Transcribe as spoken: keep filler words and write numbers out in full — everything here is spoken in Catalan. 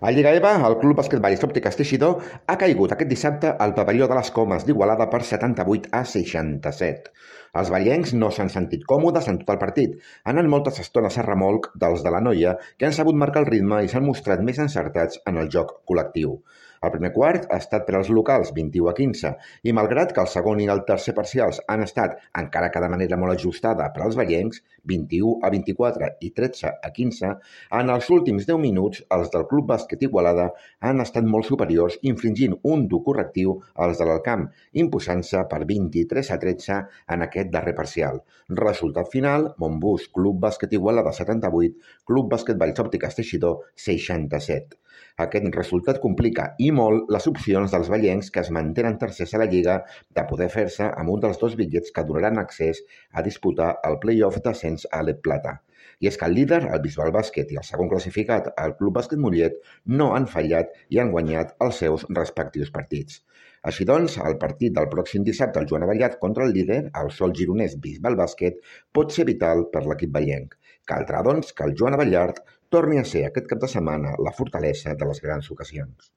A Lliga EVA, el Club Bàsquet Valls Òptic Teixidor ha caigut aquest dissabte al pavelló de les Comes d'Igualada per setanta-vuit a seixanta-set. Els vallencs no s'han sentit còmodes en tot el partit, anant moltes estones a remolc dels de la noia, que han sabut marcar el ritme i s'han mostrat més encertats en el joc col·lectiu. El primer quart ha estat per als locals, vint-i-u a quinze, i malgrat que el segon i el tercer parcials han estat, encara que de manera molt ajustada per als vallencs, vint-i-u a vint-i-quatre i tretze a quinze, en els últims deu minuts els del Club Bàsquet Igualada han estat molt superiors, infringint un dur correctiu als de l'Alcamp, imposant-se per vint-i-tres a tretze en aquest darrer parcial. Resultat final, Montbus Club Bàsquet Igualada setanta-vuit, Club Bàsquet Valls Òptic Teixidor seixanta-set. Aquest resultat complica i molt les opcions dels vallencs que es mantenen tercers a la Lliga de poder fer-se amb un dels dos bitllets que donaran accés a disputar el play-off d'ascens a l'E P Plata. I és que el líder, el Bisbal Bàsquet, i el segon classificat, el Club Bàsquet Mollet, no han fallat i han guanyat els seus respectius partits. Així doncs, el partit del pròxim dissabte al Joan Abellat contra el líder, el Sol Gironès Bisbal Bàsquet, pot ser vital per l'equip vallenc. Caldrà, doncs, que el Joan Abellat torni a ser aquest cap de setmana la fortalesa de les grans ocasions.